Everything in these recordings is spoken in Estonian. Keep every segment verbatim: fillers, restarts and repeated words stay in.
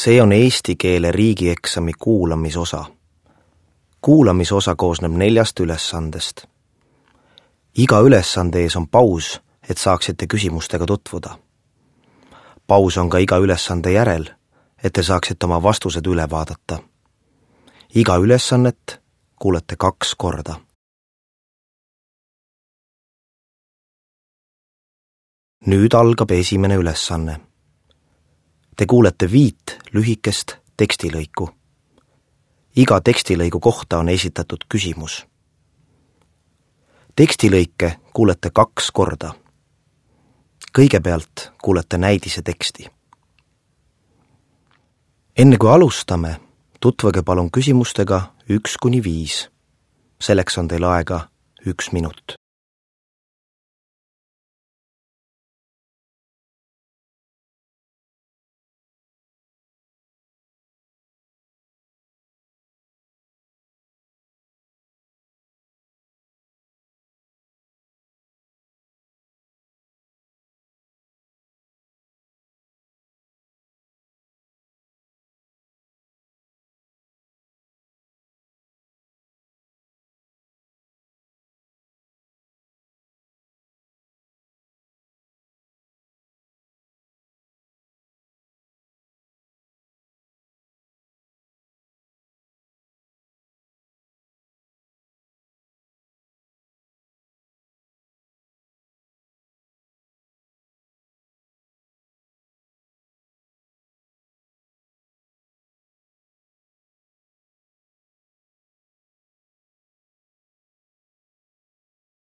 See on eesti keele riigieksami kuulamisosa. Kuulamisosa koosneb neljast ülesandest. Iga ülesande ees on paus, et saaksite küsimustega tutvuda. Paus on ka iga ülesande järel, et te saaksite oma vastused üle vaadata. Iga ülesannet kuulete kaks korda. Nüüd algab esimene ülesanne. Te kuulete viit lühikest tekstilõiku. Iga tekstilõigu kohta on esitatud küsimus. Tekstilõike kuulete kaks korda. Kõigepealt kuulete näidise teksti. Enne kui alustame, tutvage palun küsimustega üks kuni viis. Selleks on teil aega üks minut.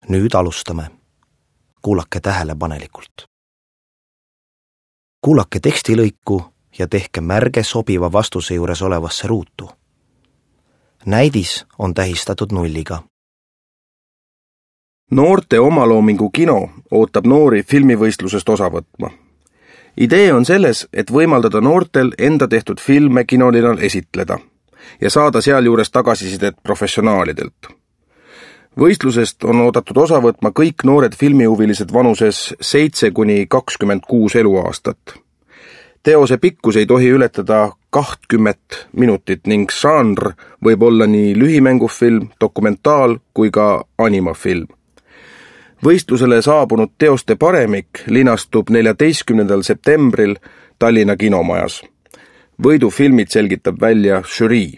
Nüüd alustame. Kuulake tähelepanelikult. Kuulake tekstilõiku ja tehke märge sobiva vastuse juures olevasse ruutu. Näidis on tähistatud nulliga. Noorte omaloomingu kino ootab noori filmivõistlusest osa võtma. Idee on selles, et võimaldada noortel enda tehtud filme kinolinal esitleda ja saada sealjuures tagasisidet professionaalidelt. Võistlusest on oodatud osa võtma kõik noored filmihuvilised vanuses seitse kuni kakskümmend kuus eluaastat. Teose pikkus ei tohi ületada kahtkümmet minutit ning žanr võib olla nii lühimängufilm, dokumentaal kui ka animafilm. Võistlusele saabunud teoste paremik linastub neljateistkümnendal septembril Tallinna kinomajas. Võidufilmid selgitab välja žürii.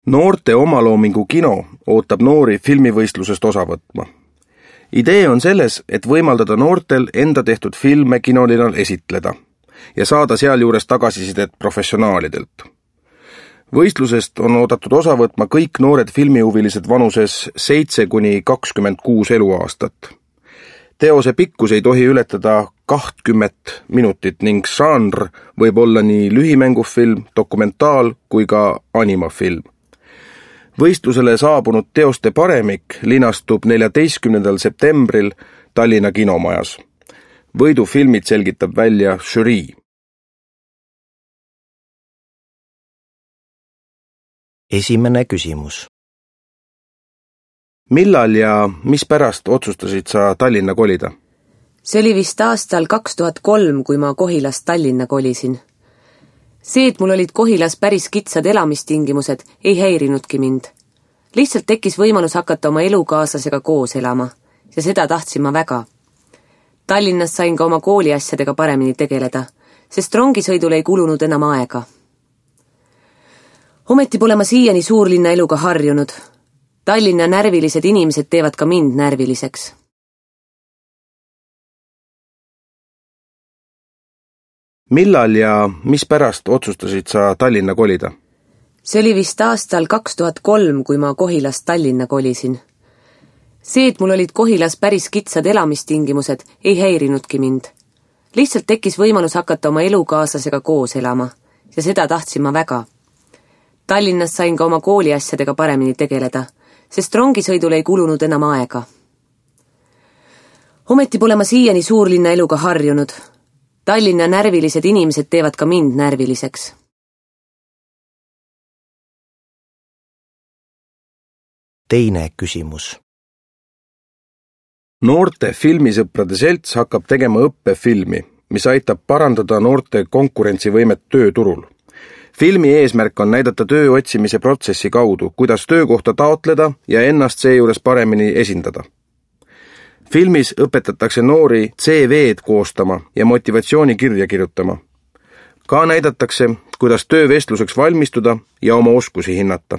Noorte omaloomingu kino ootab noori filmivõistlusest osa võtma. Idee on selles, et võimaldada noortel enda tehtud filme kinolinal esitleda ja saada sealjuures tagasisidet professionaalidelt. Võistlusest on oodatud osa võtma kõik noored filmihuvilised vanuses seitse kuni kakskümmend kuus eluaastat. Teose pikkus ei tohi ületada kahtkümmet minutit ning žanr võib olla nii lühimängufilm, dokumentaal kui ka animafilm. Võistlusele saabunud teoste paremik linastub neljateistkümnendal septembril Tallinna kinomajas. Võidufilmid selgitab välja žürii. Esimene küsimus. Millal ja mis pärast otsustasid sa Tallinna kolida? See oli vist aastal kaks tuhat kolm, kui ma Kohilast Tallinna kolisin. See, et mul olid Kohilas päris kitsad elamistingimused, ei häirinudki mind. Lihtsalt tekkis võimalus hakata oma elukaaslasega koos elama ja seda tahtsin ma väga. Tallinnas sain ka oma kooliasjadega paremini tegeleda, sest rongisõidul ei kulunud enam aega. Ometi pole ma siiani suurlinna eluga harjunud. Tallinna närvilised inimesed teevad ka mind närviliseks. Millal ja mis pärast otsustasid sa Tallinna kolida? See oli vist aastal kaks tuhat kolm, kui ma Kohilast Tallinna kolisin. See, et mul olid Kohilas päris kitsad elamistingimused, ei häirinudki mind. Lihtsalt tekkis võimalus hakata oma elukaaslasega koos elama ja seda tahtsin ma väga. Tallinnas sain ka oma kooliasjadega paremini tegeleda, sest rongisõidul ei kulunud enam aega. Ometi pole ma siiani suurlinna eluga harjunud. Tallinna närvilised inimesed teevad ka mind närviliseks. Teine küsimus. Noorte filmisõprade selts hakkab tegema õppefilmi, mis aitab parandada noorte konkurentsivõimet tööturul. Filmi eesmärk on näidata töö otsimise protsessi kaudu, kuidas töökohta taotleda ja ennast seejuures paremini esindada. Filmis õpetatakse noori C V-d koostama ja motivatsioonikirja kirjutama. Ka näidatakse, kuidas töövestluseks valmistuda ja oma oskusi hinnata.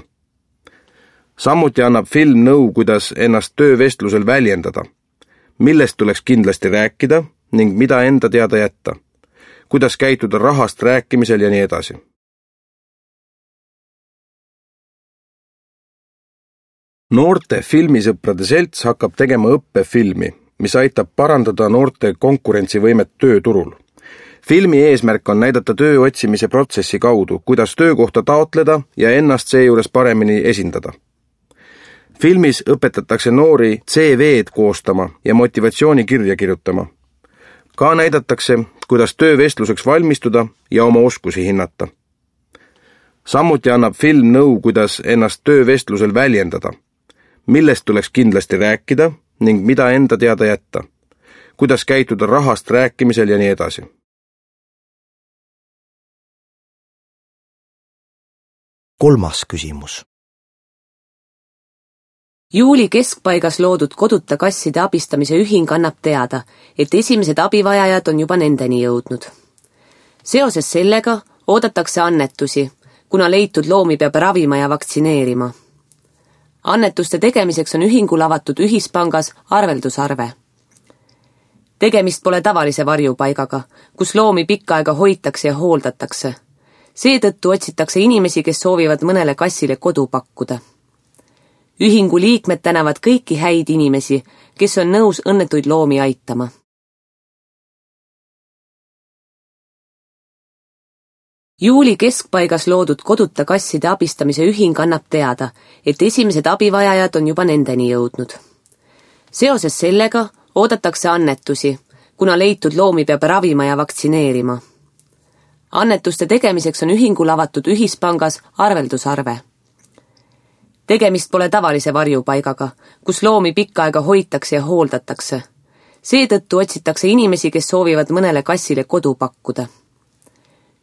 Samuti annab film nõu, kuidas ennast töövestlusel väljendada, millest tuleks kindlasti rääkida ning mida enda teada jätta, kuidas käituda rahast rääkimisel ja nii edasi. Noorte filmisõprade selts hakkab tegema õppefilmi, mis aitab parandada noorte konkurentsivõimet tööturul. Filmi eesmärk on näidata töö otsimise protsessi kaudu, kuidas töökohta taotleda ja ennast seejuures paremini esindada. Filmis õpetatakse noori C V-d koostama ja motivatsioonikirja kirjutama. Ka näidatakse, kuidas töövestluseks valmistuda ja oma oskusi hinnata. Samuti annab film nõu, kuidas ennast töövestlusel väljendada, millest tuleks kindlasti rääkida ning mida enda teada jätta, kuidas käituda rahast rääkimisel ja nii edasi. Kolmas küsimus. Juuli keskpaigas loodud koduta kasside abistamise ühing annab teada, et esimesed abivajajad on juba nendeni jõudnud. Seoses sellega oodatakse annetusi, kuna leitud loomi peab ravima ja vaktsineerima. Annetuste tegemiseks on ühingul avatud ühispangas arveldusarve. Tegemist pole tavalise varjupaigaga, kus loomi pikka aega hoitakse ja hooldatakse. Seetõttu otsitakse inimesi, kes soovivad mõnele kassile kodu pakkuda. Ühingu liikmed tänavad kõiki häid inimesi, kes on nõus õnnetuid loomi aitama. Juuli keskpaigas loodud koduta kasside abistamise ühing annab teada, et esimesed abivajajad on juba nendeni jõudnud. Seoses sellega oodatakse annetusi, kuna leitud loomi peab ravima ja vaktsineerima. Annetuste tegemiseks on ühingul avatud ühispangas arveldusarve. Tegemist pole tavalise varjupaigaga, kus loomi pikka aega hoitakse ja hooldatakse. Seetõttu otsitakse inimesi, kes soovivad mõnele kassile kodu pakkuda.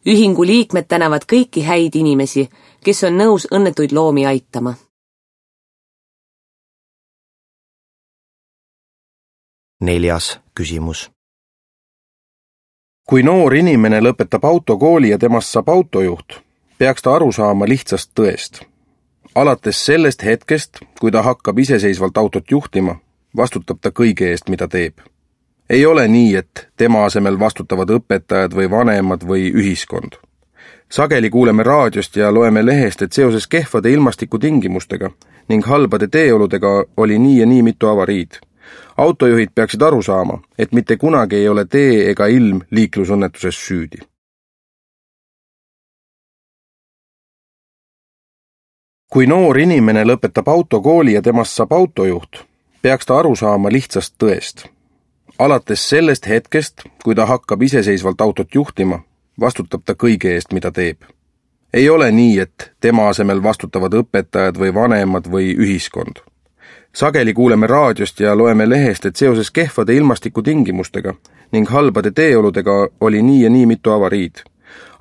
Ühingu liikmed tänavad kõiki häid inimesi, kes on nõus õnnetuid loomi aitama. Neljas küsimus. Kui noor inimene lõpetab autokooli ja temast saab autojuht, peaks ta aru saama lihtsast tõest. Alates sellest hetkest, kui ta hakkab iseseisvalt autot juhtima, vastutab ta kõige eest, mida teeb. Ei ole nii, et tema asemel vastutavad õpetajad või vanemad või ühiskond. Sageli kuuleme raadiost ja loeme lehest, et seoses kehvade ilmastikutingimustega ning halbade teeoludega oli nii ja nii mitu avariid. Autojuhid peaksid aru saama, et mitte kunagi ei ole tee ega ilm liiklusõnnetuses süüdi. Kui noor inimene lõpetab autokooli ja temast saab autojuht, peaks ta aru saama lihtsast tõest. Alates sellest hetkest, kui ta hakkab iseseisvalt autot juhtima, vastutab ta kõige eest, mida teeb. Ei ole nii, et tema asemel vastutavad õpetajad või vanemad või ühiskond. Sageli kuuleme raadiost ja loeme lehest, et seoses kehvade ilmastikutingimustega ning halbade teeoludega oli nii ja nii mitu avariid.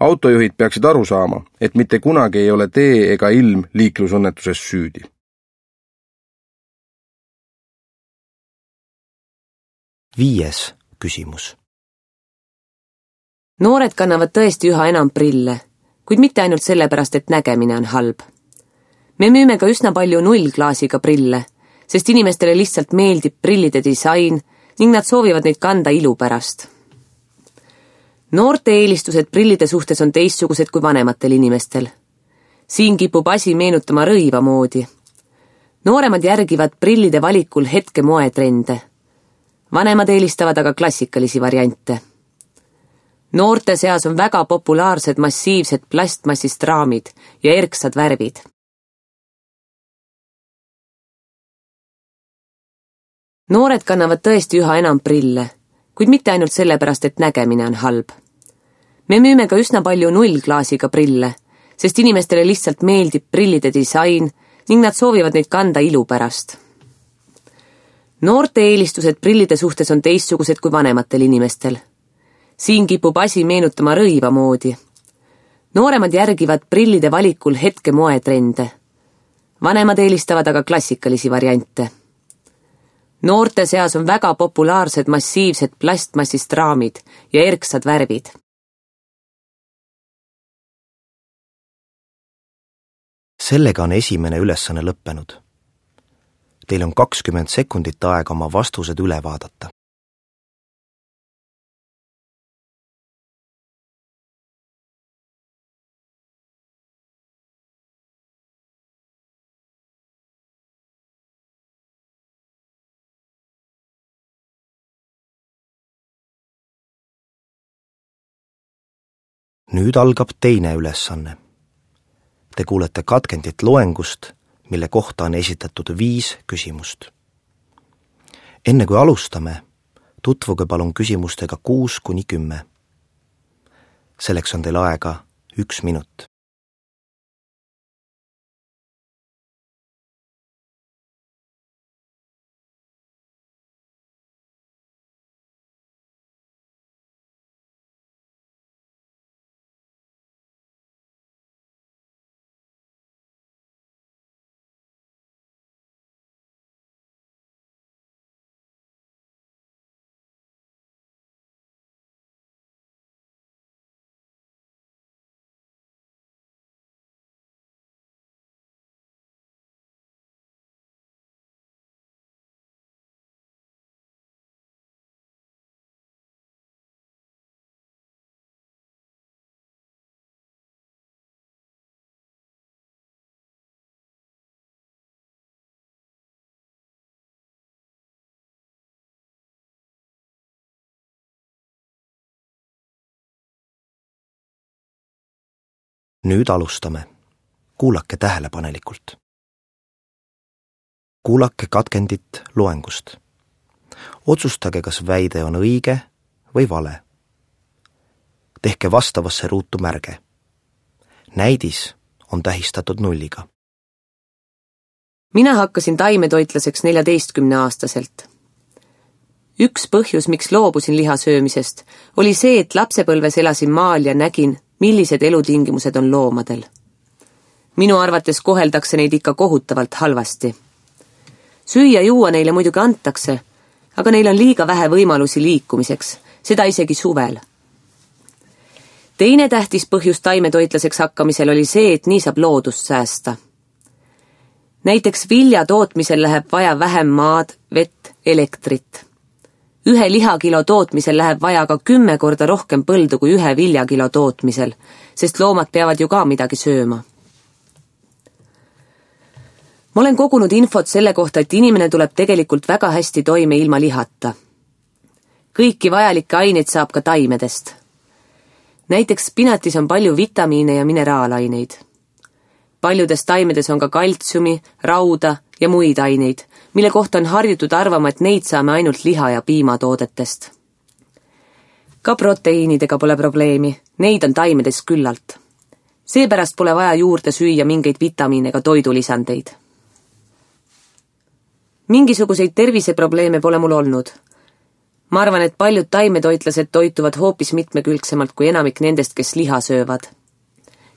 Autojuhid peaksid aru saama, et mitte kunagi ei ole tee ega ilm liiklusõnnetuses süüdi. Viies küsimus. Noored kannavad tõesti üha enam prille, kuid mitte ainult sellepärast, et nägemine on halb. Me müüme ka üsna palju nullklaasiga prille, sest inimestele lihtsalt meeldib prillide disain ning nad soovivad neid kanda ilu pärast. Noorte eelistused prillide suhtes on teistsugused kui vanematel inimestel. Siin kipub asi meenutama rõiva moodi. Nooremad järgivad prillide valikul hetke moetrende. Vanemad eelistavad aga klassikalisi variante. Noorte seas on väga populaarsed massiivsed plastmassist raamid ja erksad värvid. Noored kannavad tõesti üha enam prille, kuid mitte ainult sellepärast, et nägemine on halb. Me müüme ka üsna palju nullklaasiga prille, sest inimestele lihtsalt meeldib prillide disain ning nad soovivad neid kanda ilu pärast. Noorte eelistused prillide suhtes on teistsugused kui vanematel inimestel. Siin kipub asi meenutama rõiva moodi. Nooremad järgivad prillide valikul hetke moetrende. Vanemad eelistavad aga klassikalisi variante. Noorte seas on väga populaarsed massiivsed plastmassist raamid ja erksad värvid. Sellega on esimene ülesanne lõppenud. Teil on kakskümmend sekundit aega oma vastused üle vaadata. Nüüd algab teine ülesanne. Te kuulete katkendit loengust, mille kohta on esitatud viis küsimust. Enne kui alustame, tutvuge palun küsimustega kuus kuni kümme. Selleks on teil aega üks minut. Nüüd alustame. Kuulake tähelepanelikult. Kuulake katkendit loengust. Otsustage, kas väide on õige või vale. Tehke vastavasse ruutu märge. Näidis on tähistatud nulliga. Mina hakkasin taimetoitlaseks neljateistkümne aastaselt. Üks põhjus, miks loobusin liha söömisest, oli see, et lapsepõlves elasin maal ja nägin, millised elutingimused on loomadel. Minu arvates koheldakse neid ikka kohutavalt halvasti. Süüa juua neile muidugi antakse, aga neil on liiga vähe võimalusi liikumiseks, seda isegi suvel. Teine tähtis põhjus taimetoitlaseks hakkamisel oli see, et nii saab loodust säästa. Näiteks vilja tootmisel läheb vaja vähem maad, vett, elektrit. Ühe lihakilo tootmisel läheb vaja ka kümme korda rohkem põldu kui ühe viljakilo tootmisel, sest loomad peavad ju ka midagi sööma. Ma olen kogunud infot selle kohta, et inimene tuleb tegelikult väga hästi toime ilma lihata. Kõiki vajalikke aineid saab ka taimedest. Näiteks spinatis on palju vitamiine ja mineraalaineid. Paljudes taimedes on ka kaltsiumi, rauda ja muid aineid, mille kohta on harjutud arvama, et neid saame ainult liha- ja piimatoodetest. Ka proteiinidega pole probleemi, neid on taimedes küllalt. Seepärast pole vaja juurde süüa mingeid vitamiine ega toidulisandeid. Mingisuguseid terviseprobleeme pole mul olnud. Ma arvan, et paljud taimetoitlased toituvad hoopis mitmekülgsemalt kui enamik nendest, kes liha söövad.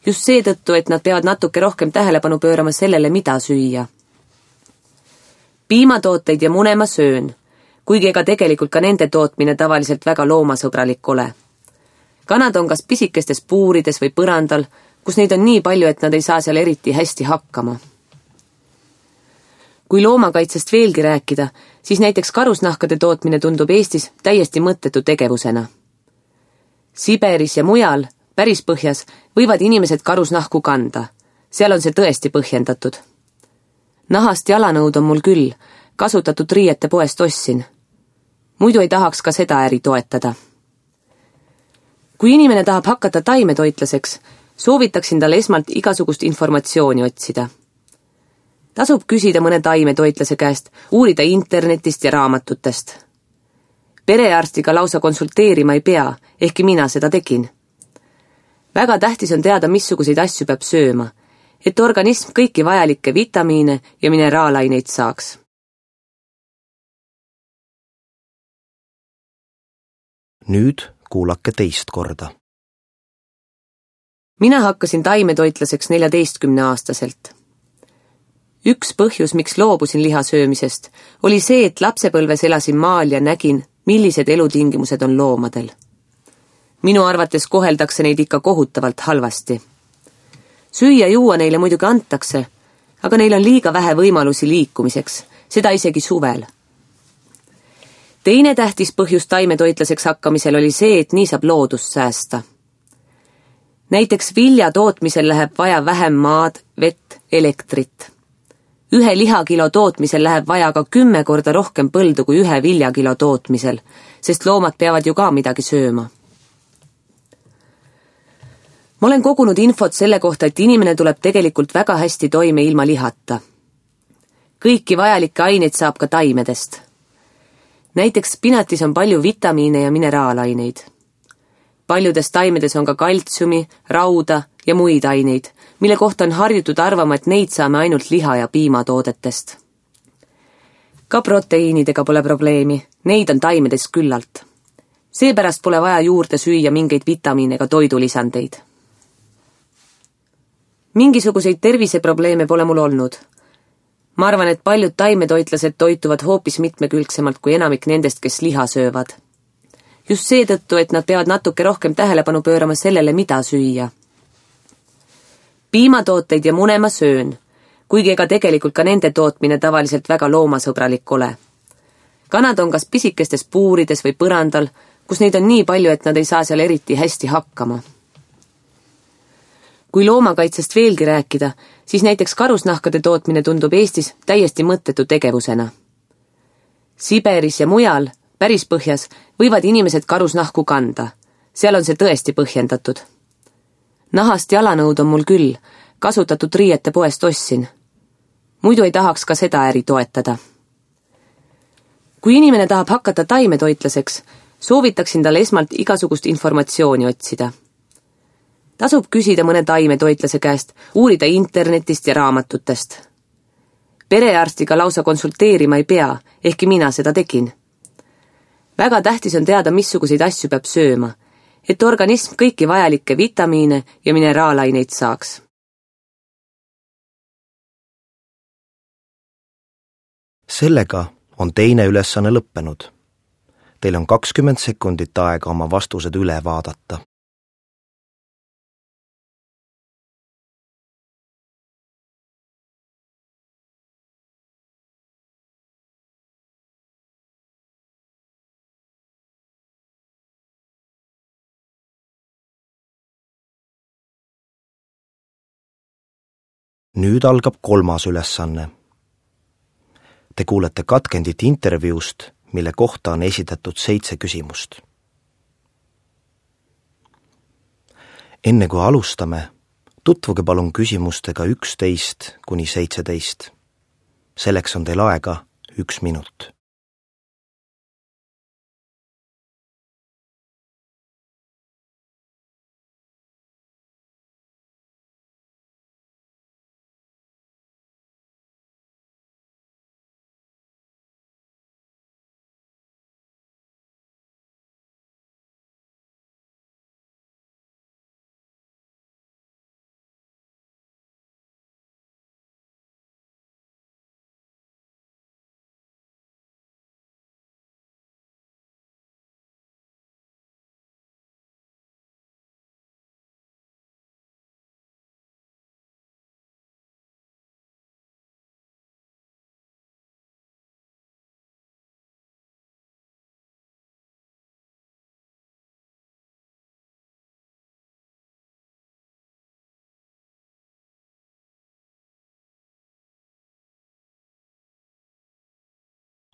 Just seetõttu, et nad peavad natuke rohkem tähelepanu pöörama sellele, mida süüa. Piimatooteid ja mune ma söön, kuigi ega tegelikult ka nende tootmine tavaliselt väga loomasõbralik ole. Kanad on kas pisikestes puurides või põrandal, kus neid on nii palju, et nad ei saa seal eriti hästi hakkama. Kui loomakaitsest veelgi rääkida, siis näiteks karusnahkade tootmine tundub Eestis täiesti mõttetu tegevusena. Siberis ja mujal, päris põhjas, võivad inimesed karusnahku kanda. Seal on see tõesti põhjendatud. Nahast jalanõud on mul küll, kasutatud riiete poest ostsin. Muidu ei tahaks ka seda äri toetada. Kui inimene tahab hakata taimetoitlaseks, soovitaksin talle esmalt igasugust informatsiooni otsida. Tasub küsida mõne taimetoitlase käest, uurida internetist ja raamatutest. Perearstiga lausa konsulteerima ei pea, ehkki mina seda tegin. Väga tähtis on teada, missuguseid asju peab sööma, et organism kõiki vajalikke vitamiine ja mineraalaineid saaks. Nüüd kuulake teist korda. Mina hakkasin taimetoitlaseks neljateistkümne aastaselt. Üks põhjus, miks loobusin liha söömisest, oli see, et lapsepõlves elasin maal ja nägin, millised elutingimused on loomadel. Minu arvates koheldakse neid ikka kohutavalt halvasti. Süüa juua neile muidugi antakse, aga neil on liiga vähe võimalusi liikumiseks, seda isegi suvel. Teine tähtis põhjus taimetoitlaseks hakkamisel oli see, et nii saab loodust säästa. Näiteks vilja tootmisel läheb vaja vähem maad, vett, elektrit. Ühe lihakilo tootmisel läheb vaja ka kümme korda rohkem põldu kui ühe viljakilo tootmisel, sest loomad peavad ju ka midagi sööma. Ma olen kogunud infot selle kohta, et inimene tuleb tegelikult väga hästi toime ilma lihata. Kõiki vajalikke aineid saab ka taimedest. Näiteks spinatis on palju vitamiine ja mineraalaineid. Paljudes taimedes on ka kaltsiumi, rauda ja muid aineid, mille kohta on harjutud arvama, et neid saame ainult liha- ja piimatoodetest. Ka proteiinidega pole probleemi, neid on taimedes küllalt. Seepärast pole vaja juurde süüa mingeid vitamiine ega toidulisandeid. Mingisuguseid terviseprobleeme pole mul olnud. Ma arvan, et paljud taimetoitlased toituvad hoopis mitmekülgsemalt kui enamik nendest, kes liha söövad. Just seetõttu, et nad peavad natuke rohkem tähelepanu pöörama sellele, mida süüa. Piimatooteid ja mune ma söön, kuigi ega tegelikult ka nende tootmine tavaliselt väga loomasõbralik ole. Kanad on kas pisikestes puurides või põrandal, kus neid on nii palju, et nad ei saa seal eriti hästi hakkama. Kui loomakaitsest veelgi rääkida, siis näiteks karusnahkade tootmine tundub Eestis täiesti mõttetu tegevusena. Siberis ja mujal, päris põhjas, võivad inimesed karusnahku kanda. Seal on see tõesti põhjendatud. Nahast jalanõud on mul küll, kasutatud riiete poest ostsin. Muidu ei tahaks ka seda äri toetada. Kui inimene tahab hakata taimetoitlaseks, soovitaksin talle esmalt igasugust informatsiooni otsida. Tasub küsida mõne taimetoitlase käest, uurida internetist ja raamatutest. Perearstiga lausa konsulteerima ei pea, ehkki mina seda tegin. Väga tähtis on teada, missuguseid asju peab sööma, et organism kõiki vajalikke vitamiine ja mineraalaineid saaks. Sellega on teine ülesanne lõppenud. Teil on kakskümmend sekundit aega oma vastused üle vaadata. Nüüd algab kolmas ülesanne. Te kuulete katkendit intervjuust, mille kohta on esitatud seitse küsimust. Enne kui alustame, tutvuge palun küsimustega üksteist kuni seitseteist. Selleks on teil aega üks minut.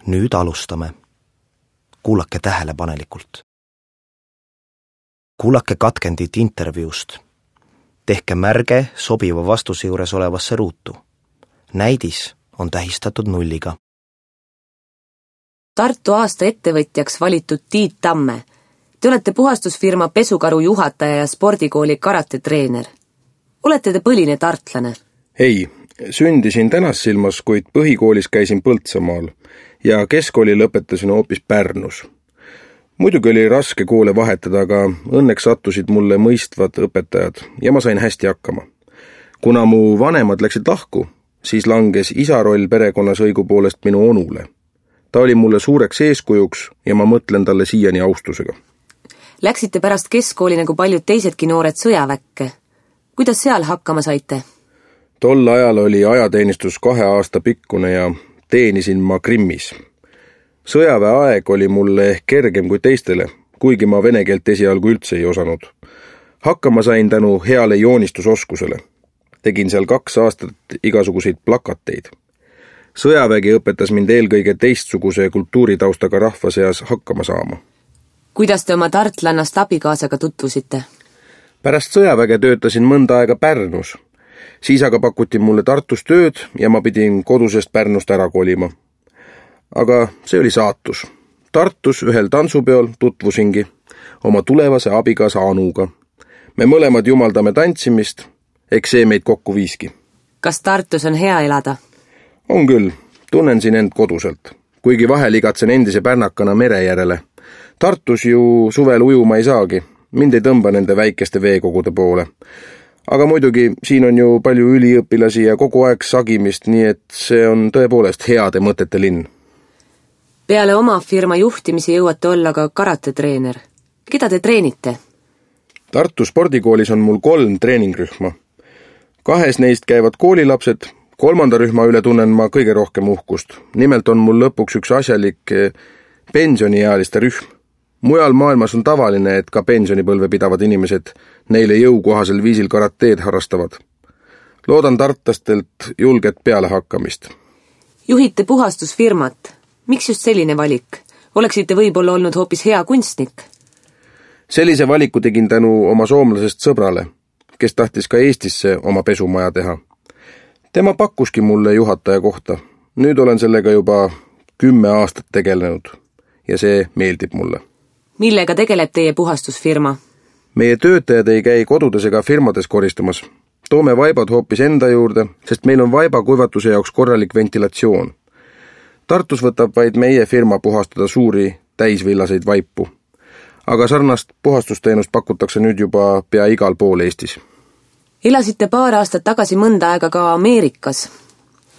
Nüüd alustame. Kuulake tähelepanelikult. Kuulake katkendit intervjuust. Tehke märge sobiva vastuse juures olevasse ruutu. Näidis on tähistatud nulliga. Tartu aasta ettevõtjaks valitud Tiit Tamme. Te olete puhastusfirma Pesukaru juhataja ja spordikooli karatetreener. Olete te põline tartlane? Ei, sündisin Tänassilmas, kuid põhikoolis käisin Põltsamaal ja keskkooli lõpetasin hoopis Pärnus. muidugi oli raske koole vahetada, aga õnneks sattusid mulle mõistvad õpetajad ja ma sain hästi hakkama. Kuna mu vanemad läksid lahku, siis langes isa roll perekonnas õigupoolest minu onule. Ta oli mulle suureks eeskujuks ja ma mõtlen talle siiani austusega. Läksite pärast keskkooli nagu paljud teisedki noored sõjaväkke. Kuidas seal hakkama saite? Tol ajal oli ajateenistus kahe aasta pikkune ja teenisin ma Krimmis. Sõjaväe aeg oli mulle ehk kergem kui teistele, kuigi ma vene keelt esialgu üldse ei osanud. Hakkama sain tänu heale joonistusoskusele. Tegin seal kaks aastat igasuguseid plakateid. Sõjavägi õpetas mind eelkõige teistsuguse kultuuritaustaga rahva seas hakkama saama. Kuidas te oma tartlannast abikaasaga tutvusite? Pärast sõjaväge töötasin mõnda aega Pärnus. Siis aga pakuti mulle Tartus tööd ja ma pidin kodusest Pärnust ära kolima. Aga see oli saatus. Tartus ühel tantsupeol tutvusingi oma tulevase abikaasa Anuga. Me mõlemad jumaldame tantsimist, eks see meid kokku viiski. Kas Tartus on hea elada? On küll, tunnen siin end koduselt, kuigi vahel igatsen endise pärnakana mere järele. Tartus ju suvel ujuma ei saagi, mind ei tõmba nende väikeste veekogude poole. Aga muidugi siin on ju palju üliõpilasi ja kogu aeg sagimist, nii et see on tõepoolest heade mõtete linn. Peale oma firma juhtimise jõuate olla ka karatetreener. Keda te treenite? Tartu spordikoolis on mul kolm treeningrühma. Kahes neist käivad koolilapsed, kolmanda rühma üle tunnen ma kõige rohkem uhkust. Nimelt on mul lõpuks üks asjalik pensioniealiste rühm. Mujal maailmas on tavaline, et ka pensionipõlve pidavad inimesed neile jõukohasel viisil karateed harrastavad. Loodan tartlastelt julget pealehakkamist. Juhite puhastusfirmat. Miks just selline valik? Oleksite võib-olla olnud hoopis hea kunstnik? Sellise valiku tegin tänu oma soomlasest sõbrale, kes tahtis ka Eestisse oma pesumaja teha. Tema pakkuski mulle juhataja kohta. Nüüd olen sellega juba kümme aastat tegelenud ja see meeldib mulle. Millega tegeleb teie puhastusfirma? Meie töötajad ei käi kodudes ega firmades koristamas. Toome vaibad hoopis enda juurde, sest meil on vaiba kuivatuse jaoks korralik ventilatsioon. Tartus võtab vaid meie firma puhastada suuri täisvillaseid vaipu. Aga sarnast puhastusteenust pakutakse nüüd juba pea igal pool Eestis. Elasite paar aastat tagasi mõnda aega ka Ameerikas.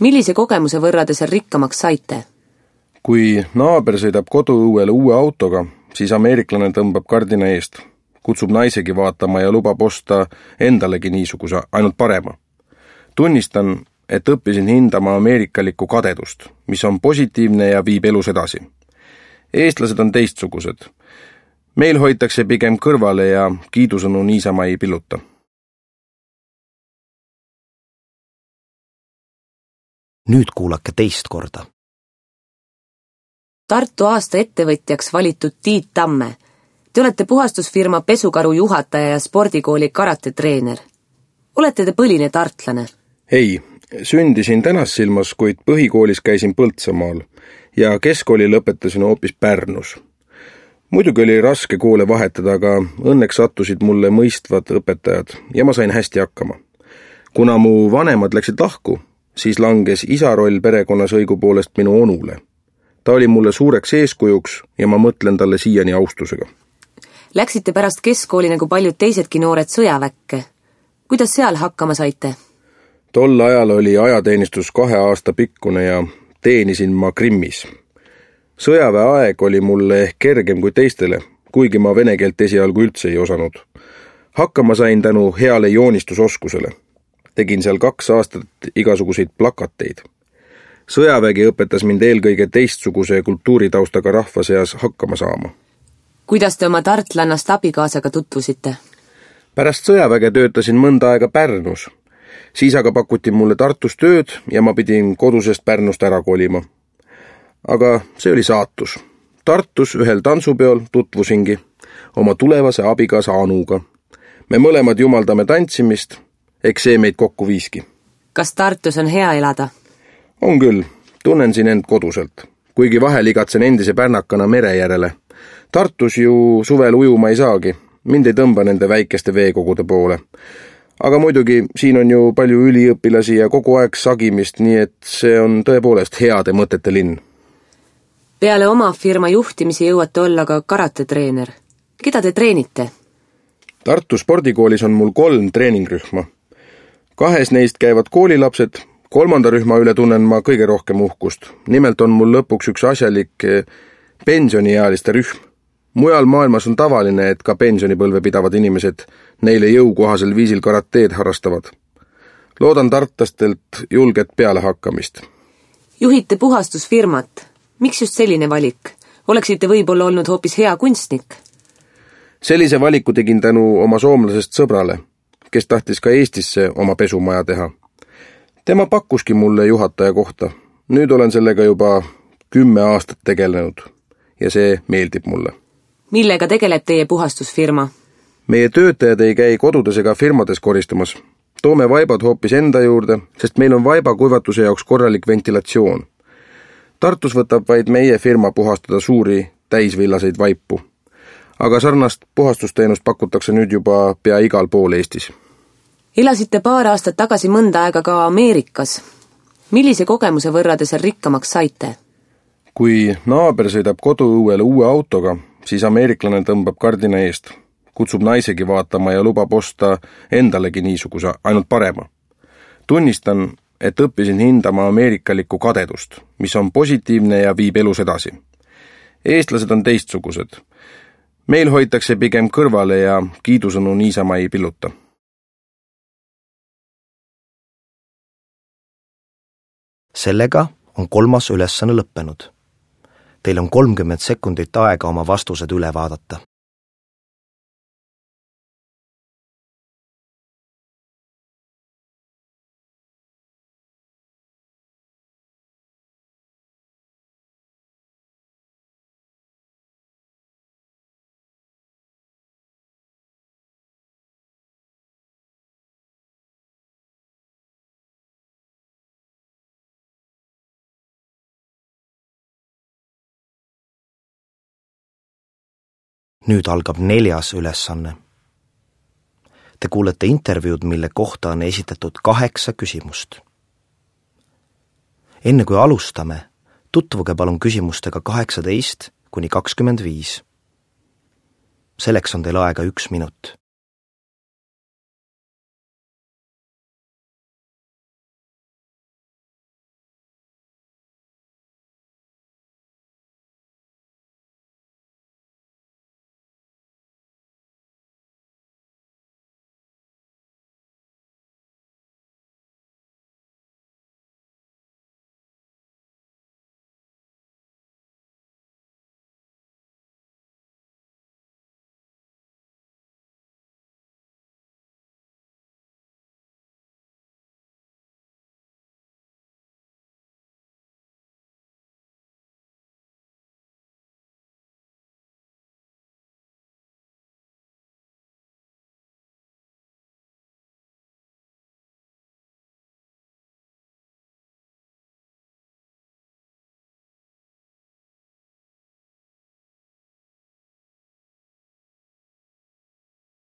Millise kogemuse võrra te seal rikkamaks saite? Kui naaber sõidab koduõuele uue autoga, siis ameeriklane tõmbab kardina eest, kutsub naisegi vaatama ja lubab osta endalegi niisuguse, ainult parema. Tunnistan, et õppisin hindama ameerikalikku kadedust, mis on positiivne ja viib elus edasi. Eestlased on teistsugused. Meil hoitakse pigem kõrvale ja kiidusõnu niisama ei pilluta. Nüüd kuulake teist korda. Tartu aasta ettevõtjaks valitud Tiit Tamme. Te olete puhastusfirma Pesukaru juhataja ja spordikooli karatetreener. Olete te põline tartlane? Ei, sündisin Tänassilmas, kuid põhikoolis käisin Põltsamaal ja keskkooli lõpetasin hoopis Pärnus. Muidugi oli raske koole vahetada, aga õnneks sattusid mulle mõistvad õpetajad ja ma sain hästi hakkama. Kuna mu vanemad läksid lahku, siis langes isa roll perekonnas õigupoolest minu onule. Ta oli mulle suureks eeskujuks ja ma mõtlen talle siiani austusega. Läksite pärast keskkooli nagu paljud teisedki noored sõjaväkke. Kuidas seal hakkama saite? Tol ajal oli ajateenistus kahe aasta pikkune ja teenisin ma Krimmis. Sõjaväe aeg oli mulle ehk kergem kui teistele, kuigi ma vene keelt esialgu üldse ei osanud. Hakkama sain tänu heale joonistusoskusele. Tegin seal kaks aastat igasuguseid plakateid. Sõjavägi õpetas mind eelkõige teistsuguse kultuuritaustaga rahva seas hakkama saama. Kuidas te oma tartlannast abikaasaga tutvusite? Pärast sõjaväge töötasin mõnda aega Pärnus. Siis aga pakuti mulle Tartus tööd ja ma pidin kodusest Pärnust ära kolima. Aga see oli saatus. Tartus ühel tantsupeol tutvusingi oma tulevase abikaasa Anuga. Me mõlemad jumaldame tantsimist, eks see meid kokku viiski. Kas Tartus on hea elada? On küll, tunnen siin end koduselt, kuigi vahel igatsen endise pärnakana mere järele. Tartus ju suvel ujuma ei saagi, mind ei tõmba nende väikeste veekogude poole. Aga muidugi siin on ju palju üliõpilasi ja kogu aeg sagimist, nii et see on tõepoolest heade mõtete linn. Peale oma firma juhtimisi jõuate olla ka karatetreener. Keda te treenite? Tartu spordikoolis on mul kolm treeningrühma. Kahes neist käivad koolilapsed, kolmanda rühma üle tunnen ma kõige rohkem uhkust. Nimelt on mul lõpuks üks asjalik pensioniealiste rühm. Mujal maailmas on tavaline, et ka pensionipõlve pidavad inimesed neile jõukohasel viisil karateed harrastavad. Loodan tartlastelt julget pealehakkamist. Juhite puhastusfirmat. Miks just selline valik? Oleksite võib-olla olnud hoopis hea kunstnik? Sellise valiku tegin tänu oma soomlasest sõbrale, kes tahtis ka Eestisse oma pesumaja teha. Tema pakkuski mulle juhataja kohta. Nüüd olen sellega juba kümme aastat tegelenud ja see meeldib mulle. Millega tegeleb teie puhastusfirma? Meie töötajad ei käi kodudes ega firmades koristamas. Toome vaibad hoopis enda juurde, sest meil on vaiba kuivatuse jaoks korralik ventilatsioon. Tartus võtab vaid meie firma puhastada suuri täisvillaseid vaipu. Aga sarnast puhastusteenust pakutakse nüüd juba pea igal pool Eestis. Elasite paar aastat tagasi mõnda aega ka Ameerikas. Millise kogemuse võrra te seal rikkamaks saite? Kui naaber sõidab koduõuele uue autoga, siis ameeriklane tõmbab kardina eest, kutsub naisegi vaatama ja lubab osta endalegi niisuguse, ainult parema. Tunnistan, et õppisin hindama ameerikalikku kadedust, mis on positiivne ja viib elus edasi. Eestlased on teistsugused. Meil hoitakse pigem kõrvale ja kiidusõnu niisama ei pilluta. Sellega on kolmas ülesanne lõppenud. Teil on kolmkümmend sekundit aega oma vastused üle vaadata. Nüüd algab neljas ülesanne. Te kuulete intervjuud, mille kohta on esitatud kaheksa küsimust. Enne kui alustame, tutvuge palun küsimustega kaheksateist kuni kakskümmend viis. Selleks on teil aega üks minut.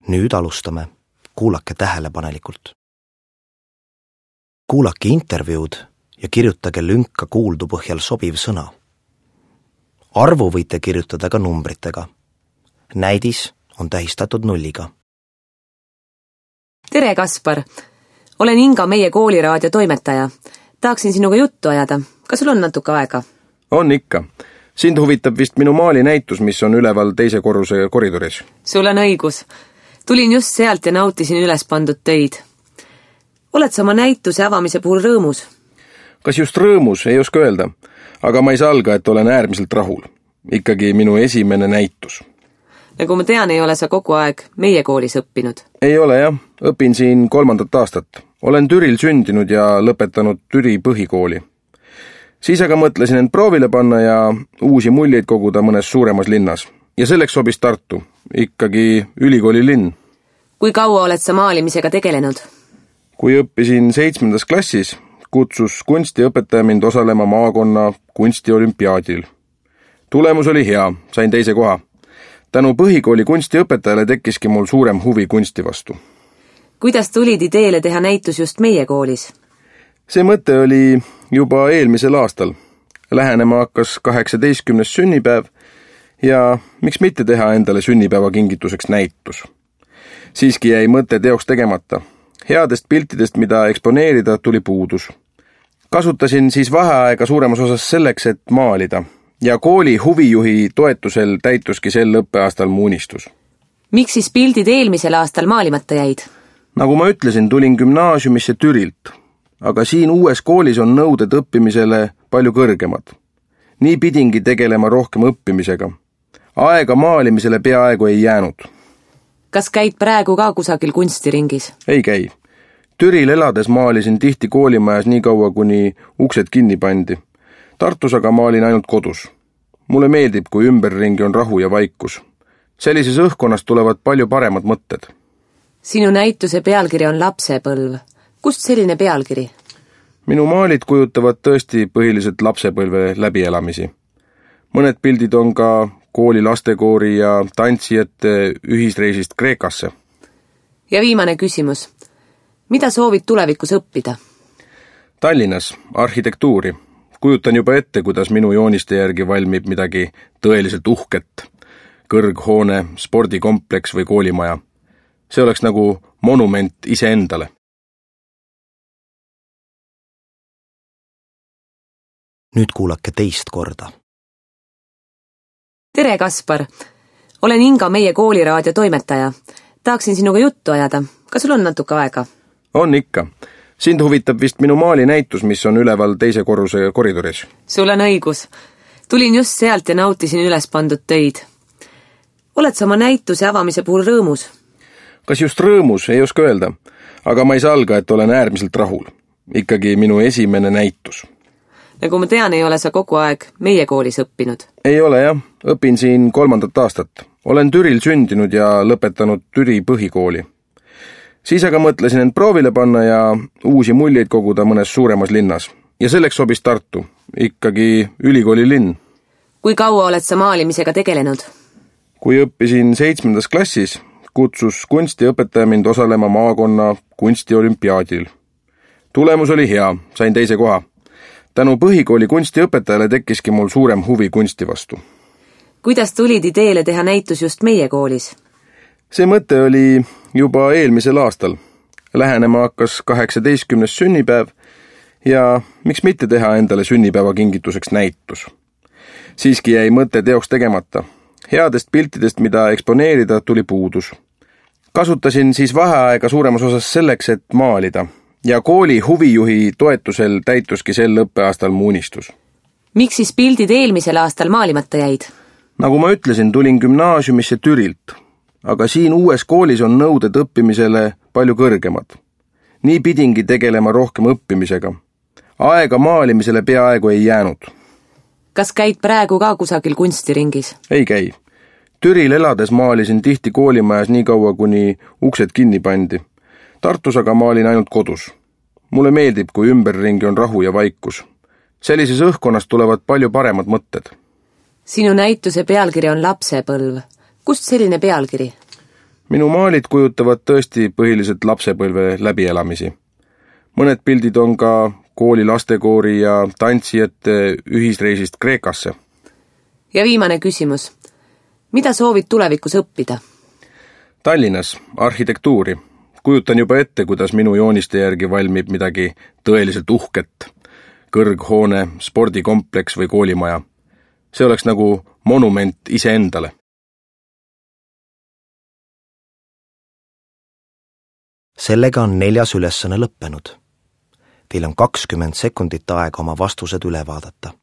Nüüd alustame. Kuulake tähelepanelikult. Kuulake intervjuud ja kirjutage lünka kuuldu põhjal sobiv sõna. Arvu võite kirjutada ka numbritega. Näidis on tähistatud nulliga. Tere, Kaspar! Olen Inga, meie kooliraadio toimetaja. Tahaksin sinuga juttu ajada. Kas sul on natuke aega? On ikka. Sind huvitab vist minu maali näitus, mis on üleval teise korruse koridoris. Sul on õigus. Tulin just sealt ja nautisin üles pandud töid. Oled sa oma näituse avamise puhul rõõmus? Kas just rõõmus, ei oska öelda, aga ma ei salga, et olen äärmiselt rahul. Ikkagi minu esimene näitus. Nagu ma tean, ei ole sa kogu aeg meie koolis õppinud. Ei ole jah, õpin siin kolmandat aastat. Olen Türil sündinud ja lõpetanud Türi põhikooli. Siis aga mõtlesin end proovile panna ja uusi muljeid koguda mõnes suuremas linnas. Ja selleks sobis Tartu, ikkagi ülikooli linn. Kui kaua oled sa maalimisega tegelenud? Kui õppisin seitsmendas klassis, kutsus kunstiõpetaja mind osalema maakonna kunstiolümpiaadil. Tulemus oli hea, sain teise koha. Tänu põhikooli kunstiõpetajale tekkiski mul suurem huvi kunsti vastu. Kuidas tulid ideele teha näitus just meie koolis? See mõte oli juba eelmisel aastal. Lähenema hakkas kaheksateistkümnes sünnipäev ja miks mitte teha endale sünnipäeva kingituseks näitus. Siiski jäi mõte teoks tegemata. Headest piltidest, mida eksponeerida, tuli puudus. Kasutasin siis vaheaega suuremas osas selleks, et maalida. Ja kooli huvijuhi toetusel täituski sel õppeaastal mu unistus. Miks siis pildid eelmisel aastal maalimata jäid? Nagu ma ütlesin, tulin gümnaasiumisse Türilt, aga siin uues koolis on nõuded õppimisele palju kõrgemad. Nii pidingi tegelema rohkem õppimisega. Aega maalimisele peaaegu ei jäänud. Kas käid praegu ka kusagil kunstiringis? Ei käi. Türil elades maalisin tihti koolimajas nii kaua, kuni uksed kinni pandi. Tartus aga maalin ainult kodus. Mulle meeldib, kui ümberringi on rahu ja vaikus. Sellises õhkonnast tulevad palju paremad mõtted. Sinu näituse pealkiri on Lapsepõlv. Kust selline pealkiri? Minu maalid kujutavad tõesti põhiliselt lapsepõlve läbielamisi. Mõned pildid on ka kooli lastekoori ja tantsijate ühisreisist Kreekasse. Ja viimane küsimus. Mida soovid tulevikus õppida? Tallinnas arhitektuuri. Kujutan juba ette, kuidas minu jooniste järgi valmib midagi tõeliselt uhket. Kõrghoone, spordikompleks või koolimaja. See oleks nagu monument iseendale. Nüüd kuulake teist korda. Tere, Kaspar! Olen Inga, meie kooliraadio toimetaja. Tahaksin sinuga juttu ajada. Kas sul on natuke aega? On ikka. Sind huvitab vist minu maalinäitus, mis on üleval teise korruse koridoris. Sul on õigus. Tulin just sealt ja nautisin üles pandud töid. Oled sa oma näituse avamise puhul rõõmus? Kas just rõõmus, ei oska öelda, aga ma ei salga, et olen äärmiselt rahul. Ikkagi minu esimene näitus. Nagu ma tean, ei ole sa kogu aeg meie koolis õppinud. Ei ole jah, õpin siin kolmandat aastat. Olen Türil sündinud ja lõpetanud Türi põhikooli. Siis aga mõtlesin end proovile panna ja uusi muljeid koguda mõnes suuremas linnas. Ja selleks sobis Tartu, ikkagi ülikooli linn. Kui kaua oled sa maalimisega tegelenud? Kui õppisin seitsmendas klassis, kutsus kunstiõpetaja mind osalema maakonna kunstiolümpiaadil. Tulemus oli hea, sain teise koha. Tänu põhikooli kunstiõpetajale tekkiski mul suurem huvi kunsti vastu. Kuidas tulid ideele teha näitus just meie koolis? See mõte oli juba eelmisel aastal. Lähenema hakkas kaheksateistkümnes sünnipäev ja miks mitte teha endale sünnipäeva kingituseks näitus. Siiski jäi mõte teoks tegemata. Headest piltidest, mida eksponeerida, tuli puudus. Kasutasin siis vaheaega suuremas osas selleks, et maalida. Ja kooli huvijuhi toetusel täituski sel õppeaastal mu unistus. Miks siis pildid eelmisel aastal maalimata jäid? Nagu ma ütlesin, tulin gümnaasiumisse Türilt, aga siin uues koolis on nõuded õppimisele palju kõrgemad. Nii pidingi tegelema rohkem õppimisega. Aega maalimisele peaaegu ei jäänud. Kas käid praegu ka kusagil kunstiringis? Ei käi. Türil elades maalisin tihti koolimajas nii kaua, kuni uksed kinni pandi. Tartus aga maalin ainult kodus. Mulle meeldib, kui ümberringi on rahu ja vaikus. Sellises õhkonnast tulevad palju paremad mõtted. Sinu näituse pealkiri on Lapsepõlv. Kust selline pealkiri? Minu maalid kujutavad tõesti põhiliselt lapsepõlve läbielamisi. Mõned pildid on ka kooli lastekoori ja tantsijate ühisreisist Kreekasse. Ja viimane küsimus. Mida soovid tulevikus õppida? Tallinnas arhitektuuri. Kujutan juba ette, kuidas minu jooniste järgi valmib midagi tõeliselt uhket. Kõrghoone, spordikompleks või koolimaja. See oleks nagu monument iseendale. Sellega on neljas ülesanne lõppenud. Teil on kakskümmend sekundit aega oma vastused üle vaadata.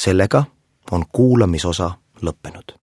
Sellega on kuulamisosa lõppenud.